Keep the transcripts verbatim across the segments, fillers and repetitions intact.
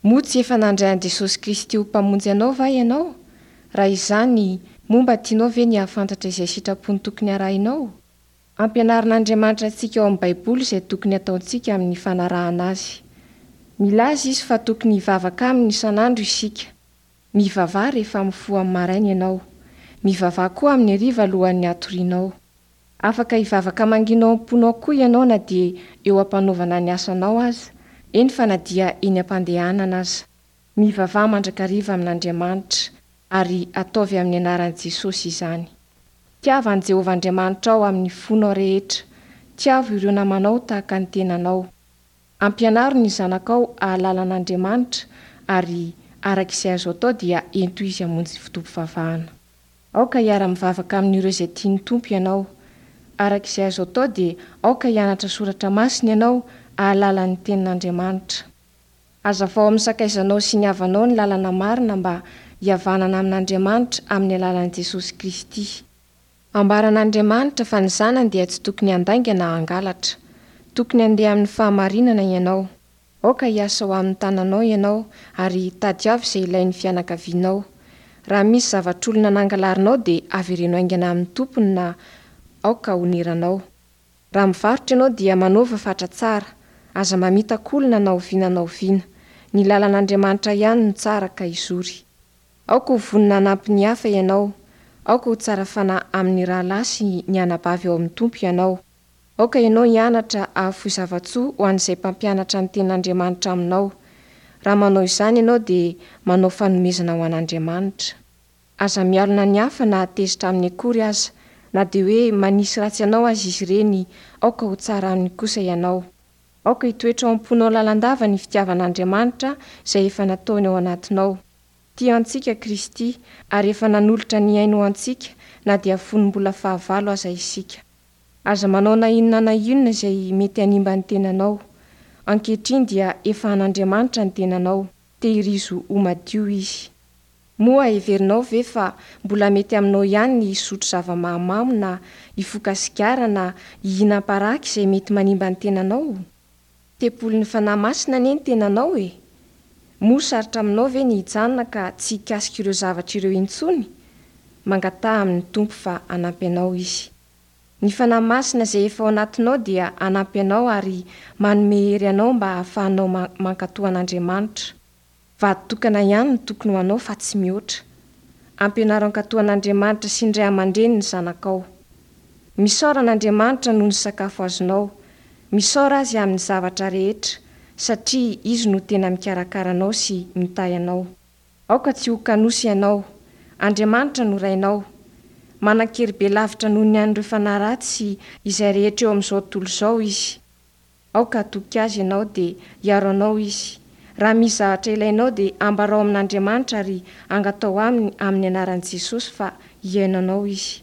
Moa tsy efa nandray an'i Jesosy Kristy ho Mpamonjy anao va ianao? Raha izany, moa mba tianao ve ny hahafantatra izay sitrapony tokony harahinao? Ampianarin'Andriamanitra antsika ao amin'ny Baiboly izay tokony hataontsika amin'ny fanarahana Azy. Milaza Izy fa tokony hivavaka Aminy isan'andro isika. Mivavaha rehefa mifoha amin'ny maraina ianao. Mivavaha koa amin'ny hariva alohan'ny hatorianao. Afaka hivavaka mangina ao am-ponao koa ianao na dia eo am-panaovana ny asanao aza, eny fa na dia eny am-pandehanana aza. Mivavaha mandrakariva amin'Andriamanitra, ary ataovy amin'ny anaran'i Jesosy izany. Tiava an'i Jehovah Andriamanitrao amin'ny fonao rehetra. Tiavo ireo namanao tahaka ny tenanao. Ampianaro ny zanakao hahalala an'Andriamanitra, ary araka izay azo atao dia ento izy hamonjy fotoam-pivavahana. Aoka hiara-mivavaka amin'ireo izay tian'ny Tompo ianao. Araka izay azo atao dia aoka hianatra soratra masina ianao hahalala ny tenin'Andriamanitra. Hazavao amin'ny sakaizanao sy ny havanao ny lalana marina mba hihavanana amin'Andriamanitra amin'ny alalan'i Jesosy Kristy. Ambaran'Andriamanitra fa ny zanany dia tsy tokony handainga na hangalatra. Tokony handeha amin'ny fahamarinana ianao. Aoka hiasa ho amin'ny tananao ianao ary tadiavo izay ilain'ny fianakavianao. Raha misy zavatr'olona nangalarinao dia avereno haingana amin'ny tompony na aoka honeranao. Raha mivarotra ianao dia manaova fatra tsara. Aza mamitaka olona na oviana na oviana. Ny lalan'Andriamanitra ihany no tsara ka izory. Aoka ho vonona hanampy ny hafa ianao. Aoka ho tsara fanahy amin'ny rahalahy sy ny anabavy ao amin'ny Tompo ianao. Aoka ianao hianatra hahafoy zava-tsoa ho an'izay mpampianatra ny tenin'Andriamanitra aminao. Raha manao izany ianao dia manao fanomezana ho an'Andriamanitra. Aza mialona ny hafa na tezitra aminy akory aza, na dia hoe manisy ratsy anao aza izy ireny, aoka ho tsara aminy kosa ianao. Aoka hitoetra ao am-ponao lalandava ny fitiavan'Andriamanitra izay efa nataony ao anatinao. Tia antsika Kristy ary efa nanolotra ny ainy ho antsika na dia fony mbola fahavalo aza isika. Aza manao na inona na inona izay mety hanimba ny tenanao. Ankehitriny dia efa an'Andriamanitra ny tenanao, tehirizo ho madio izy. Moa heverinao ve fa mbola mety aminao ihany ny hisotro zava-mahamamo na hifoka sigara na hihinam-paraky izay mety manimba ny tenanao? Tempolin'ny Fanahy Masina anie ny tenanao e! Moa sarotra aminao ve ny hijanona ka tsy hikasika ireo zavatra ireo intsony? Mangataha amin'ny Tompo fa hanampy anao Izy. Ny Fanahy Masina izay efa ao anatinao dia hanampy anao ary manome hery anao mba hahafahanao mankatò an'Andriamanitra. Vady tokana ihany no tokony ho anao fa tsy mihoatra. Ampianaro hankatò an'Andriamanitra sy ny ray aman-dreny ny zanakao. Misaora an'Andriamanitra noho ny sakafo azonao. Misaora Azy amin'ny zavatra rehetra, satria Izy no tena mikarakara anao sy mitahy anao. Aoka tsy ho kanosa ianao. Andriamanitra no Rainao. Manan-kery be lavitra noho ny an'ireo fanahy ratsy sy izay rehetra eo amin'izao tontolo izao Izy. Aoka hatoky Azy ianao dia hiaro anao Izy. Raha misy zavatra ilainao dia ambarao amin'Andriamanitra ary angatao Aminy amin'ny anaran'i Jesosy fa hihaino anao Izy.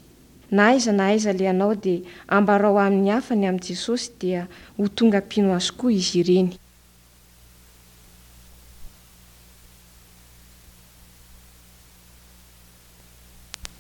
Na aiza na aiza alehanao dia ambarao amin'ny hafa ny amin'i Jesosy dia ho tonga mpino Azy koa izy ireny.